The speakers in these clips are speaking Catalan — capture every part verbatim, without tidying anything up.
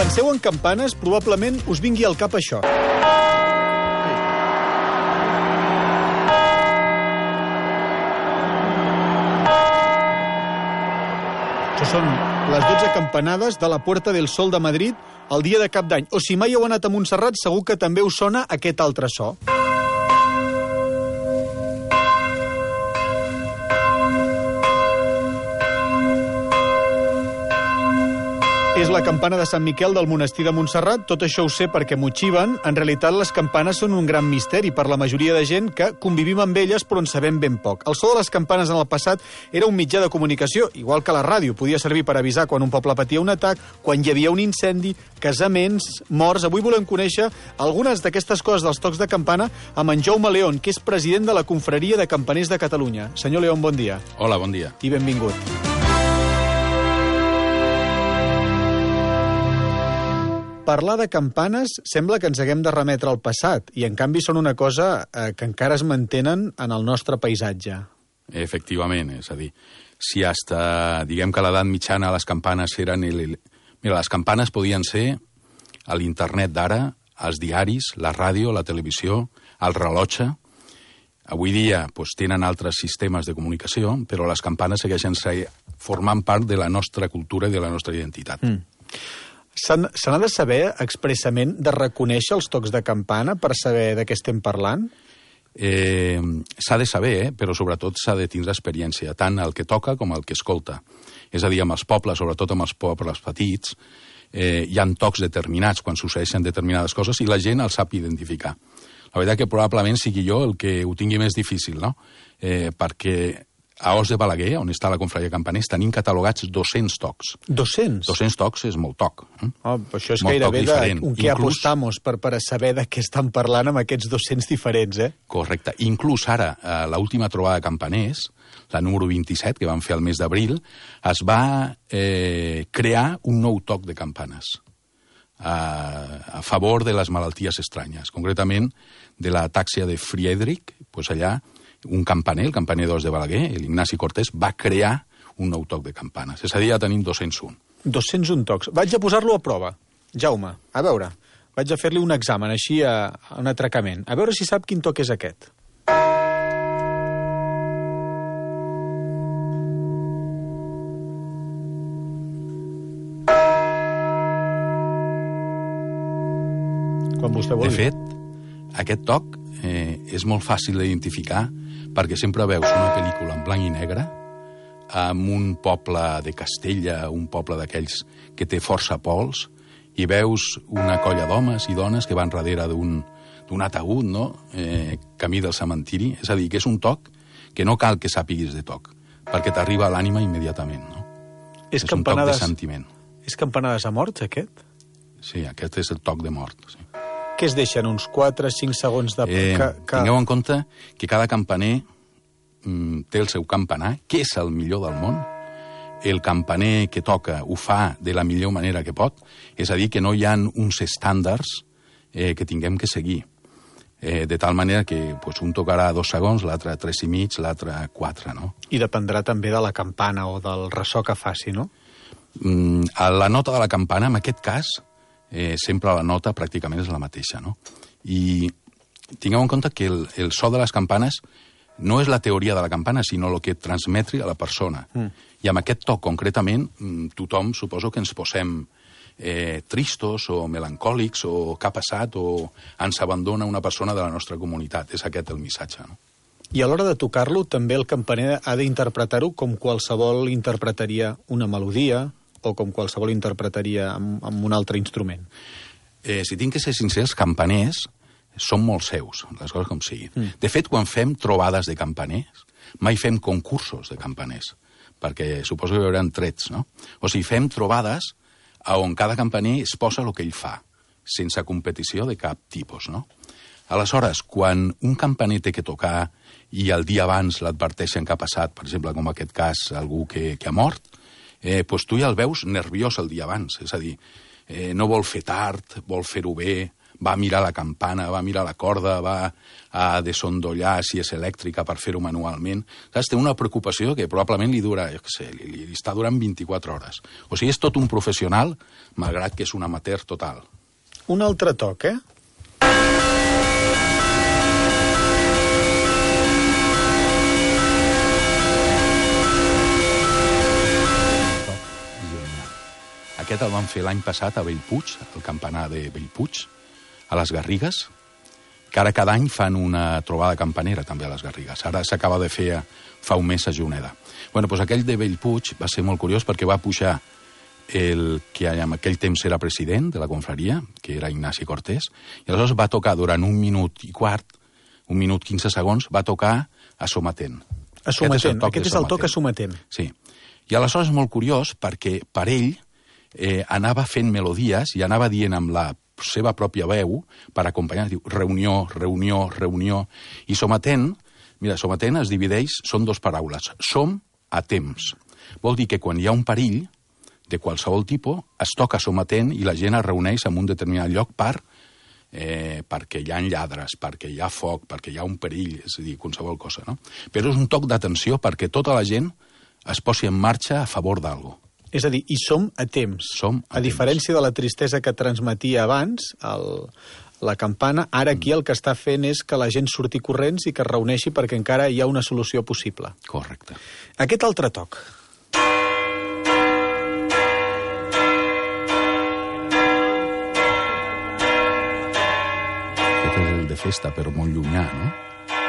penseu en campanes, probablement us vingui al cap això. Això són les dotze campanades de la Puerta del Sol de Madrid el dia de Cap d'Any. O si mai heu anat a Montserrat, segur que també us sona aquest altre so. És la campana de Sant Miquel del monestir de Montserrat. Tot això ho sé perquè m'ho xiven. En realitat, les campanes són un gran misteri per la majoria de gent que convivim amb elles però en sabem ben poc. El so de les campanes en el passat era un mitjà de comunicació, igual que la ràdio. Podia servir per avisar quan un poble patia un atac, quan hi havia un incendi, casaments, morts. Avui volem conèixer algunes d'aquestes coses dels tocs de campana amb en Jaume León, que és president de la Confraria de Campaners de Catalunya. Senyor León, bon dia. Hola, bon dia. I benvingut. Parlar de campanes sembla que ens haguem de remetre al passat, i en canvi són una cosa eh, que encara es mantenen en el nostre paisatge. Efectivament, és a dir, si hasta, diguem que a l'edat mitjana les campanes eren... El... Mira, les campanes podien ser a l'internet d'ara, als diaris, la ràdio, la televisió, el rellotge. Avui dia doncs, tenen altres sistemes de comunicació, però les campanes segueixen formant part de la nostra cultura i de la nostra identitat. Mm. Se n'ha de saber expressament de reconèixer els tocs de campana per saber de què estem parlant? Eh, s'ha de saber, eh? Però sobretot s'ha de tindre experiència, tant el que toca com el que escolta. És a dir, amb els pobles, sobretot amb els pobles petits, eh, hi ha tocs determinats quan succeeixen determinades coses i la gent els sap identificar. La veritat que probablement sigui jo el que ho tingui més difícil, no? Eh, perquè a Os de Balaguer, on està la Confraria de Campaners, tenim catalogats dos-cents tocs. dos-cents? dos-cents tocs és molt toc. Eh? Oh, això és molt gairebé de un que Inclús... apostamos per, per saber de què estan parlant amb aquests dos-cents diferents, eh? Correcte. Inclús ara, a l'última trobada de campaners, la número vint-i-set, que van fer el mes d'abril, es va eh, crear un nou toc de campanes a, a favor de les malalties estranyes. Concretament, de la tàxia de Friedrich, doncs allà, un campaner, el campaner d'Os de Balaguer, l'Ignasi Cortés, va crear un nou toc de campanes. És a dir, ja tenim dos-cents un. dos-cents un tocs. Vaig a posar-lo a prova. Jaume, a veure, vaig a fer-li un examen, així a, a un atracament. A veure si sap quin toc és aquest. Quan vostè vulgui. De fet, aquest toc eh, és molt fàcil d'identificar perquè sempre veus una pel·lícula en blanc i negre amb un poble de Castella, un poble d'aquells que té força pols, i veus una colla d'homes i dones que van darrere d'un d'un ataúd, no? eh, camí del cementiri. És a dir, que és un toc que no cal que sàpiguis de toc, perquè t'arriba a l'ànima immediatament. No? És, és un toc de sentiment. És campanades a morts, aquest? Sí, aquest és el toc de mort, sí. Què es deixen, uns quatre o cinc segons de... Eh, que, que... Tingueu en compte que cada campaner mm, té el seu campanar, que és el millor del món. El campaner que toca ho fa de la millor manera que pot, és a dir, que no hi ha uns estàndards eh, que tinguem que seguir. Eh, de tal manera que pues, un tocarà dos segons, l'altre tres i mig, l'altre quatre, no? I dependrà també de la campana o del ressò que faci, no? Mm, la nota de la campana, en aquest cas, Eh, sempre la nota pràcticament és la mateixa, no? I tingueu en compte que el, el so de les campanes no és la teoria de la campana, sinó el que transmetri a la persona. Mm. I amb aquest toc, concretament, tothom suposo que ens posem eh, tristos o melancòlics o què ha passat o ens abandona una persona de la nostra comunitat. És aquest el missatge, no? I a l'hora de tocar-lo, també el campaner ha d'interpretar-ho com qualsevol interpretaria una melodia o com qualsevol interpretaria amb, amb un altre instrument? Eh, si tinc que ser sincer, els campaners són molt seus, les coses com siguin. Mm. De fet, quan fem trobades de campaners, mai fem concursos de campaners, perquè suposo que hi haurà trets, no? O sigui, fem trobades on cada campaner es posa el que ell fa, sense competició de cap tipus, no? Aleshores, quan un campaner té que tocar i el dia abans l'adverteixen que ha passat, per exemple, com en aquest cas, algú que, que ha mort, eh, doncs tu ja el veus nerviós el dia abans. És a dir, eh, no vol fer tard, vol fer-ho bé, va mirar la campana, va mirar la corda, va a desondollar si és elèctrica per fer-ho manualment. Saps? Té una preocupació que probablement li dura, jo què sé, li, li està durant vint-i-quatre hores. O sigui, és tot un professional, malgrat que és un amateur total. Un altre toc, eh? Aquest el van fer l'any passat a Bellpuig, al campanar de Bellpuig, a les Garrigues, que ara cada any fan una trobada campanera també a les Garrigues. Ara s'acaba de fer fa un mes a Juneda. Bueno, doncs aquell de Bellpuig va ser molt curiós perquè va pujar el que en aquell temps era president de la confraria, que era Ignasi Cortés, i aleshores va tocar durant un minut i quart, un minut quinze segons, va tocar a Somatent. A Somatent, aquest és el toc a Somatent. Sí. I aleshores és molt curiós perquè per ell eh, anava fent melodies i anava dient amb la seva pròpia veu per acompanyar, diu reunió, reunió, reunió. I Somatent, mira, Somatent es divideix, són dos paraules, som a temps. Vol dir que quan hi ha un perill de qualsevol tipus, es toca Somatent i la gent es reuneix en un determinat lloc per, eh, perquè hi ha lladres, perquè hi ha foc, perquè hi ha un perill, és a dir, qualsevol cosa, no? Però és un toc d'atenció perquè tota la gent es posi en marxa a favor d'algú. És a dir, i som a temps. Som a, a diferència de la tristesa que transmetia abans, el, la campana, ara aquí el que està fent és que la gent surti corrents i que es reuneixi perquè encara hi ha una solució possible. Correcte. Aquest altre toc. Aquest és el de festa, però molt llunyà, no?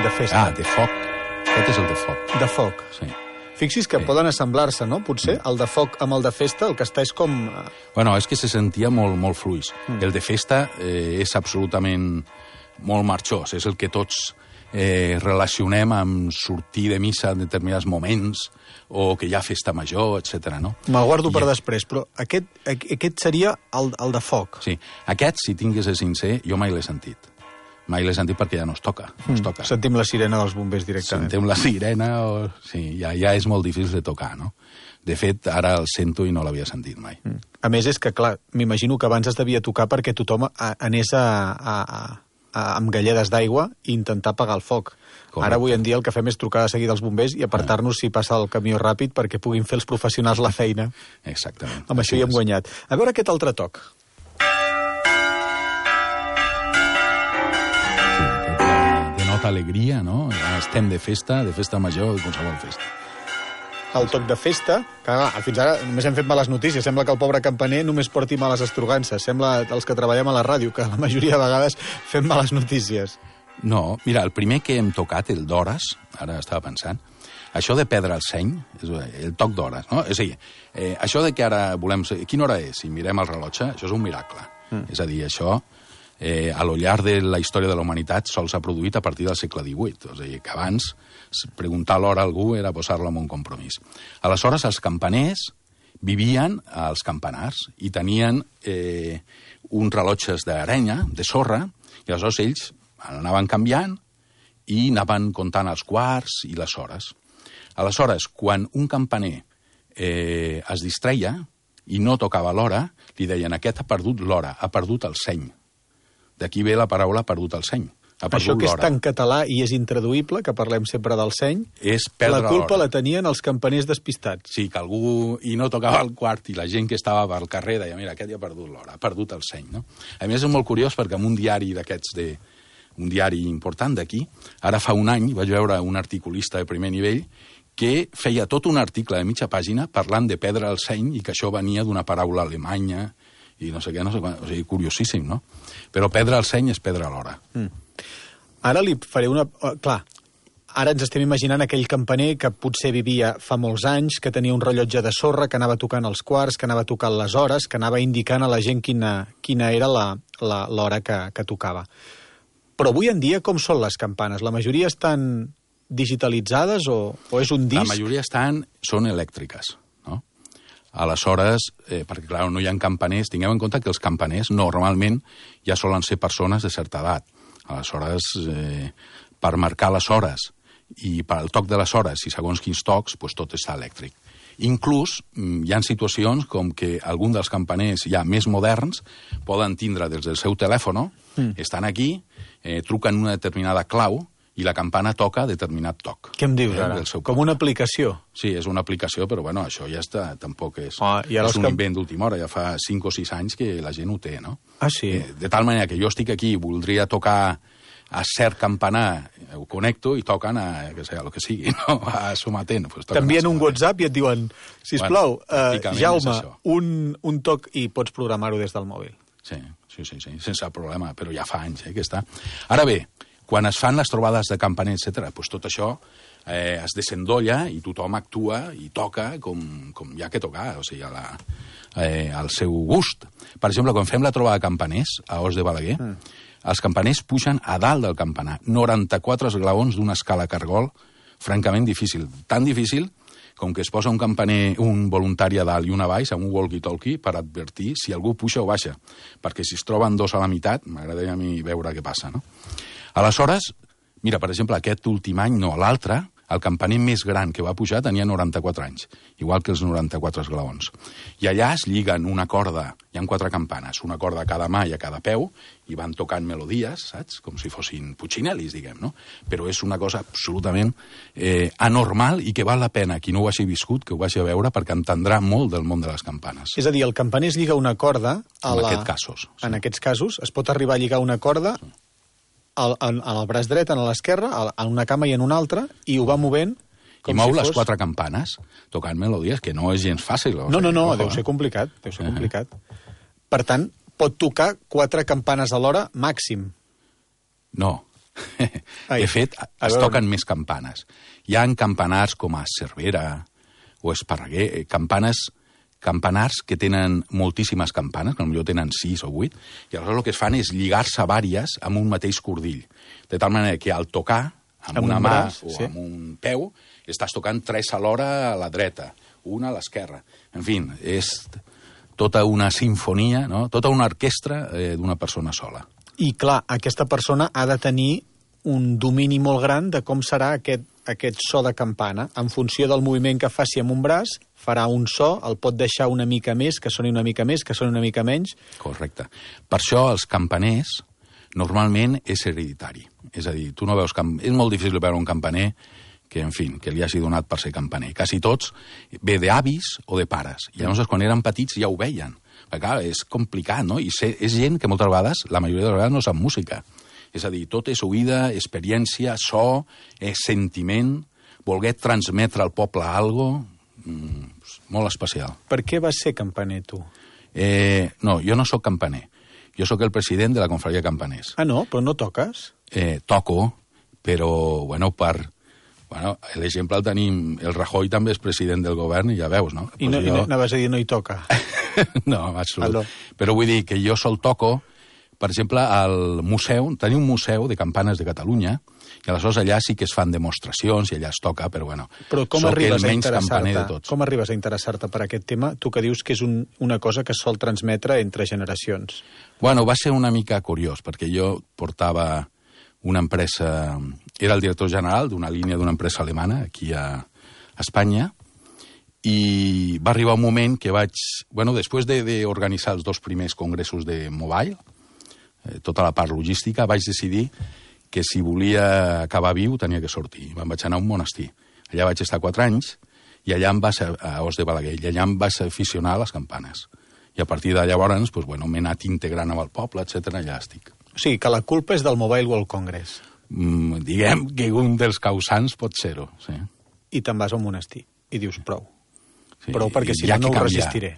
De festa. Ah, de foc. Aquest és el de foc. De foc. Sí. Fixis que Sí. poden assemblar-se, no? Potser el de foc amb el de festa, el que està és com... Bueno, és que se sentia molt, molt fluix. Mm. El de festa eh, és absolutament molt marxós, és el que tots eh, relacionem amb sortir de missa en determinats moments o que hi ha festa major, etcètera. No? Me'l guardo I... per després, però aquest, aquest seria el, el de foc. Sí, aquest, si tingués de sincer, jo mai l'he sentit. Mai l'he sentit perquè ja no es toca. No es toca. Mm. Sentim la sirena dels bombers directament. Sentim la sirena, o... sí, ja, ja és molt difícil de tocar, no? De fet, ara el sento i no l'havia sentit mai. Mm. A més, és que, clar, m'imagino que abans es devia tocar perquè tothom anés a, a, a, a, amb galledes d'aigua i intentar apagar el foc. Correcte. Ara, avui en dia, el que fem és trucar de seguida als bombers i apartar-nos si passa el camió ràpid perquè puguin fer els professionals la feina. Exactament. Amb això hi hem guanyat. A veure aquest altre toc. Alegria, no? Estem de festa, de festa major, de qualsevol festa. El toc de festa, que clar, fins ara només hem fet males notícies. Sembla que el pobre campaner només porti males estrugances. Sembla els que treballem a la ràdio, que la majoria de vegades fem males notícies. No, mira, el primer que hem tocat, el d'hores, ara estava pensant, això de perdre el seny, és el toc d'hores, no? És a dir, eh, això de que ara volem... Quina hora és? Si mirem el rellotge, això és un miracle. Mm. És a dir, això... Eh, a lo llarg de la història de la humanitat sols s'ha produït a partir del segle divuit. O sigui, que abans preguntar l'hora a algú era posar-lo en un compromís. Aleshores, els campaners vivien als campanars i tenien eh, uns rellotges d'arenya, de sorra, i aleshores ells anaven canviant i anaven comptant els quarts i les hores. Aleshores, quan un campaner eh, es distreia i no tocava l'hora, li deien aquest ha perdut l'hora, ha perdut el seny. D'aquí ve la paraula perdut el seny. Això que és tan català i és intraduïble, que parlem sempre del seny, és perdre la culpa l'hora. La tenien els campaners despistats. Sí, que algú i no tocava el quart i la gent que estava pel carrer deia, mira, aquest ja ha perdut l'hora, ha perdut el seny, no? A més, és molt curiós perquè en un diari d'aquests, de, un diari important d'aquí, ara fa un any vaig veure un articulista de primer nivell que feia tot un article de mitja pàgina parlant de perdre el seny i que això venia d'una paraula alemanya i no sé què, no sé quan, o sigui, curiosíssim, no? Però perdre el seny és perdre l'hora. Mm. Ara li faré una... Clar, ara ens estem imaginant aquell campaner que potser vivia fa molts anys, que tenia un rellotge de sorra, que anava tocant els quarts, que anava tocant les hores, que anava indicant a la gent quina, quina era l'hora que, que tocava. Però avui en dia com són les campanes? La majoria estan digitalitzades o, o és un disc? La majoria estan, són elèctriques. Aleshores, eh, perquè clar, no hi ha campaners, tingueu en compte que els campaners normalment ja solen ser persones de certa edat. Aleshores, eh, per marcar les hores i per al toc de les hores i segons quins tocs, doncs tot està elèctric. Inclús hi ha situacions com que algun dels campaners ja més moderns poden tindre des del seu telèfon Mm. Estan aquí, eh, truquen una determinada clau i la campana toca determinat toc. Què em dius ara? Com una aplicació? Sí, és una aplicació, però bueno, això ja està, tampoc és, ah, és un que... invent d'última hora, ja fa cinc o sis anys que la gent ho té, no? Ah, sí? Eh, de tal manera que jo estic aquí i voldria tocar a cert campanar, ho connecto i toquen a, que sé, a lo que sigui, no? A Somatent. Pues t'envien un WhatsApp i et diuen, sisplau, bueno, uh, Jaume, un, un toc i pots programar-ho des del mòbil. Sí, sí, sí, sí, sense problema, però ja fa anys eh, que està. Ara bé, quan es fan les trobades de campaner, etcètera, doncs tot això eh, es desendolla i tothom actua i toca com, com hi ha que tocar, o sigui, a la, eh, al seu gust. Per exemple, quan fem la trobada de campaners a Os de Balaguer, mm. els campaners pugen a dalt del campanar, noranta-quatre esglaons d'una escala cargol, francament difícil. Tan difícil com que es posa un campaner, un voluntari a dalt i un a baix, amb un walkie-talkie, per advertir si algú puja o baixa. Perquè si es troben dos a la meitat, m'agradaria a mi veure què passa, no? Aleshores, mira, per exemple, aquest últim any, no, l'altre, el campaner més gran que va pujar tenia noranta-quatre anys, igual que els noranta-quatre esglaons. I allà es lliguen una corda, hi ha quatre campanes, una corda a cada mà i a cada peu, i van tocant melodies, saps? Com si fossin puccinelis, diguem, no? Però és una cosa absolutament eh, anormal i que val la pena, qui no ho hagi viscut, que ho vagi a veure, perquè entendrà molt del món de les campanes. És a dir, el campaner es lliga una corda... A en la... aquests casos. Sí. En aquests casos, es pot arribar a lligar una corda... Sí. Al, en, en el braç dret, en l'esquerra, en una cama i en una altra, i ho va movent com I mou si les fos... quatre campanes, tocant melodies, que no és gens fàcil. No, no, no, deu ser complicat, deu ser complicat. Per tant, pot tocar quatre campanes a l'hora màxim. No. De fet, es toquen més campanes. Hi ha campanars com a Cervera o Esparreguer, campanes... campanars que tenen moltíssimes campanes, que potser tenen sis o vuit, i aleshores el que es fan és lligar-se vàries amb un mateix cordill. De tal manera que al tocar, amb, amb una mà braç, o sí. amb un peu, estàs tocant tres a l'hora a la dreta, una a l'esquerra. En fi, és tota una sinfonia, no? Tota una orquestra eh, d'una persona sola. I clar, aquesta persona ha de tenir un domini molt gran de com serà aquest, aquest so de campana. En funció del moviment que faci amb un braç, farà un so, el pot deixar una mica més, que soni una mica més, que soni una mica menys. Correcte. Per això els campaners normalment és hereditari. És a dir, tu no veus... Camp... És molt difícil veure un campaner que, en fi, que li hagi donat per ser campaner. Quasi tots ve d'avis o de pares. I llavors, quan eren petits, ja ho veien. Perquè, clar, és complicat, no? I ser, és gent que moltes vegades, la majoria de les vegades, no sap música. És a dir, tot és oïda, experiència, so, és sentiment, voler transmetre al poble alguna cosa, mm, molt especial. Per què vas ser campaner, tu? Eh, no, jo no sóc campaner. Jo sóc el president de la Confraria de Campaners. Ah, no? Però no toques? Eh, toco, però, bueno, per... Bueno, l'exemple el tenim... El Rajoy també és president del govern, i ja veus, no? I no, jo... anaves a dir no hi toca? No, en absolut. Aló. Però vull dir que jo sol toco, per exemple, al museu, tenim un museu de campanes de Catalunya, i aleshores allà sí que es fan demostracions i allà es toca, però bueno, però com soc arribes el menys a campaner de tots. Com arribes a interessar-te per aquest tema, tu que dius que és un, una cosa que es sol transmetre entre generacions? Bueno, va ser una mica curiós, perquè jo portava una empresa... Era el director general d'una línia d'una empresa alemana aquí a Espanya, i va arribar un moment que vaig... Bueno, després d'organitzar els dos primers congressos de Mobile, eh, tota la part logística, vaig decidir que si volia acabar viu tenia que sortir. Me'n vaig anar a un monestir. Allà vaig estar quatre anys, i allà em vas a, a Os de Balaguer, i allà em vas aficionar a les campanes. I a partir de llavors, pues, bueno, m'he anat integrant amb el poble, etcètera, allà estic. O sigui, que la culpa és del Mobile World Congress. Mm, diguem que un dels causants pot ser-ho, sí. I te'n vas a un monestir, i dius prou. Sí, prou, perquè si no, no ho resistiré.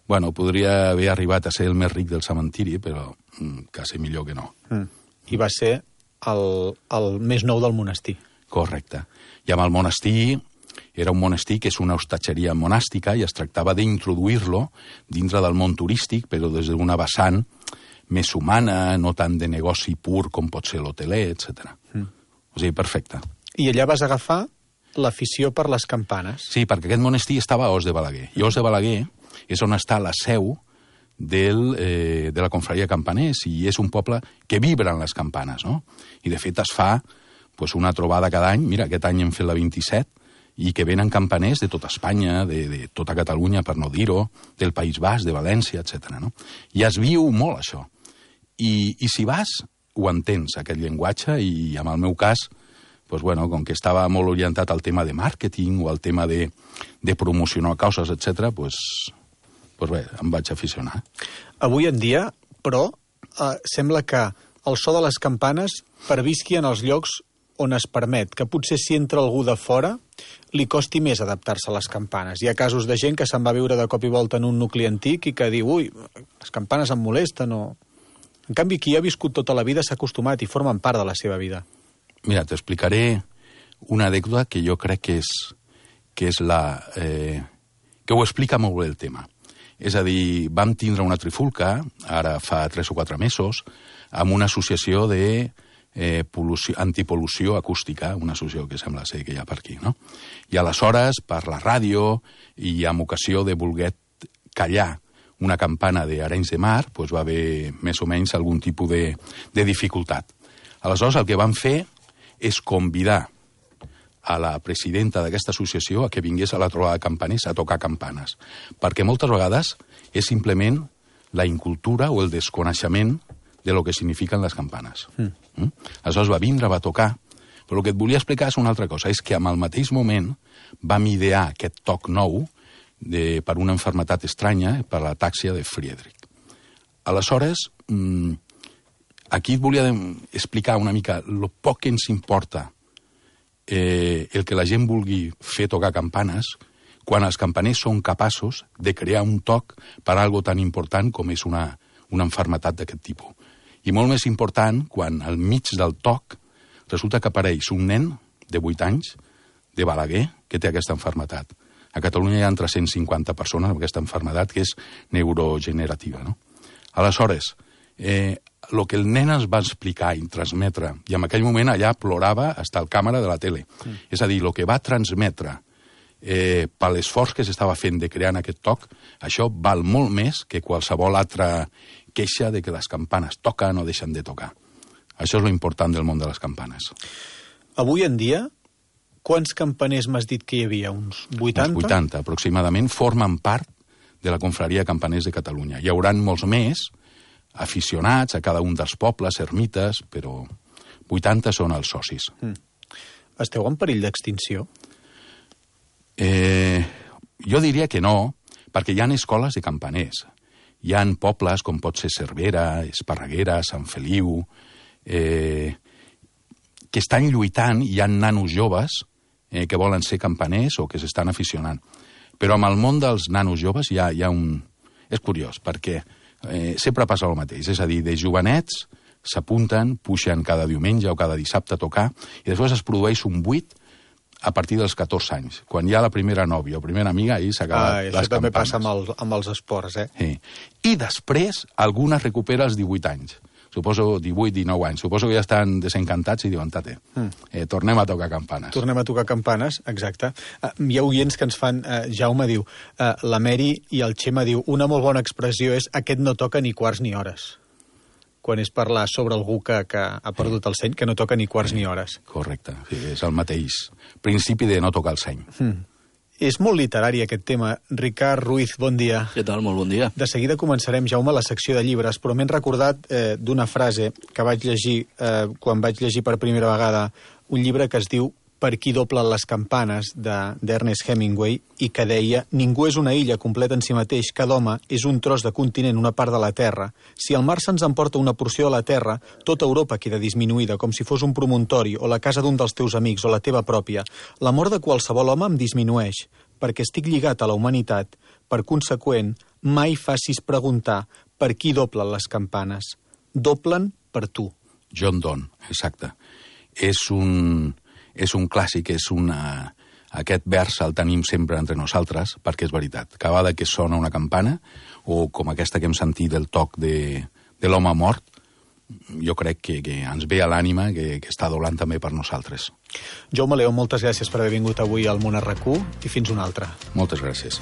Bueno, podria haver arribat a ser el més ric del cementiri, però mm, quasi millor que no. Mm. I va ser el, el més nou del monestir. Correcte. I amb el monestir, era un monestir que és una hostatgeria monàstica i es tractava d'introduir-lo dintre del món turístic, però des d'una vessant més humana, no tant de negoci pur com pot ser l'hoteler, etcètera. Mm. O sigui, perfecte. I allà vas agafar l'afició per les campanes. Sí, perquè aquest monestir estava a Os de Balaguer. I Os de Balaguer és on està la seu del, eh, de la Confraria de Campaners, i és un poble que vibra en les campanes, no? I de fet es fa pues, una trobada cada any, mira, aquest any hem fet la vint-i-set, i que venen campaners de tota Espanya, de, de tota Catalunya, per no dir-ho, del País Basc, de València, etcètera. No? I es viu molt això. I, i si vas, ho entens, aquest llenguatge, i en el meu cas, pues bueno, com que estava molt orientat al tema de màrqueting o al tema de, de promocionar causes, etcètera, pues, pues bé, em vaig aficionar. Avui en dia, però, eh, sembla que el so de les campanes pervisqui en els llocs on es permet, que potser si entra algú de fora li costi més adaptar-se a les campanes. Hi ha casos de gent que se'n va viure de cop i volta en un nucli antic i que diu, ui, les campanes em molesten o... En canvi, qui ha viscut tota la vida s'ha acostumat i formen part de la seva vida. Mira, t'explicaré una anècdota que jo crec que és, que és la... Eh, que ho explica molt bé el tema. És a dir, vam tindre una trifulca, ara fa tres o quatre mesos, amb una associació de eh, pol·lució, antipol·lució acústica, una associació que sembla ser que hi ha per aquí, no? I aleshores, per la ràdio, i amb ocasió de voler callar una campana d'Arenys de Mar, doncs va haver més o menys algun tipus de, de dificultat. Aleshores, el que vam fer és convidar a la presidenta d'aquesta associació a que vingués a la trobada de campaners a tocar campanes, perquè moltes vegades és simplement la incultura o el desconeixement de lo que signifiquen les campanes. Mm. Mm? Aleshores va vindre, va tocar, però el que et volia explicar és una altra cosa, és que en el mateix moment vam idear aquest toc nou de, per una malaltia estranya, per l'atàxia de Friedrich. Aleshores, mmm, aquí et volia explicar una mica el poc que ens importa eh, el que la gent vulgui fer tocar campanes quan els campaners són capaços de crear un toc per a algo tan important com és una, una malaltia d'aquest tipus. I molt més important quan al mig del toc resulta que apareix un nen de vuit anys de Balaguer que té aquesta malaltia. A Catalunya hi ha tres-cents cinquanta persones amb aquesta malaltia que és neurogenerativa, no? Aleshores, eh, el que el nen ens va explicar i transmetre, i en aquell moment allà plorava fins el càmera de la tele. Mm. És a dir, el que va transmetre eh, per l'esforç que s'estava fent de crear en aquest toc, això val molt més que qualsevol altra queixa de que les campanes toquen o deixen de tocar. Això és lo important del món de les campanes. Avui en dia, quants campaners m'has dit que hi havia? Uns vuitanta? Uns vuitanta, aproximadament, formen part de la confraria de campaners de Catalunya. Hi haurà molts més aficionats a cada un dels pobles, ermites, però vuitanta són els socis. Mm. Esteu en perill d'extinció? Eh, jo diria que no, perquè hi ha escoles de campaners. Hi ha pobles com pot ser Cervera, Esparreguera, Sant Feliu, eh, que estan lluitant, i hi ha nanos joves eh, que volen ser campaners o que s'estan aficionant. Però amb el món dels nanos joves hi ha, hi ha un... És curiós, perquè eh, sempre passa el mateix. És a dir, de jovenets s'apunten, puixen cada diumenge o cada dissabte a tocar, i després es produeix un buit a partir dels catorze anys. Quan hi ha la primera nòvia o primera amiga, ahir s'acaba ah, les campanes. Això també passa amb, el, amb els esports, eh? Sí. I després, alguna recupera els divuit anys. Suposo divuit, dinou anys. Suposo que ja estan desencantats i diuen, tate, mm. eh, tornem a tocar campanes. Tornem a tocar campanes, exacte. Uh, hi ha oients que ens fan... Uh, Jaume diu, uh, la Meri i el Xema diu, una molt bona expressió és aquest no toca ni quarts ni hores. Quan és parlar sobre algú que, que ha perdut el seny, que no toca ni quarts sí, ni hores. Correcte, sí, és el mateix principi de no tocar el seny. Mm. És molt literari aquest tema. Ricard Ruiz, bon dia. Què tal? Molt bon dia. De seguida començarem, Jaume, la secció de llibres, però m'he recordat eh, d'una frase que vaig llegir eh, quan vaig llegir per primera vegada un llibre que es diu Per qui doblen les campanes, d'Ernest Hemingway, i que deia: ningú és una illa completa en si mateix, cada home és un tros de continent, una part de la Terra. Si el mar se'ns emporta una porció de la Terra, tota Europa queda disminuïda, com si fos un promontori, o la casa d'un dels teus amics, o la teva pròpia. L'amor de qualsevol home em disminueix, perquè estic lligat a la humanitat. Per conseqüent, mai facis preguntar per qui doblen les campanes. Doblen per tu. John Donne, exacte. És un... és un clàssic, és una... Aquest vers el tenim sempre entre nosaltres, perquè és veritat. Cada vegada que sona una campana, o com aquesta que hem sentit del toc de, de l'home mort, jo crec que, que ens ve a l'ànima que, que està doblant també per nosaltres. Jaume León, moltes gràcies per haver vingut avui al Món R Q i fins una altra. Moltes gràcies.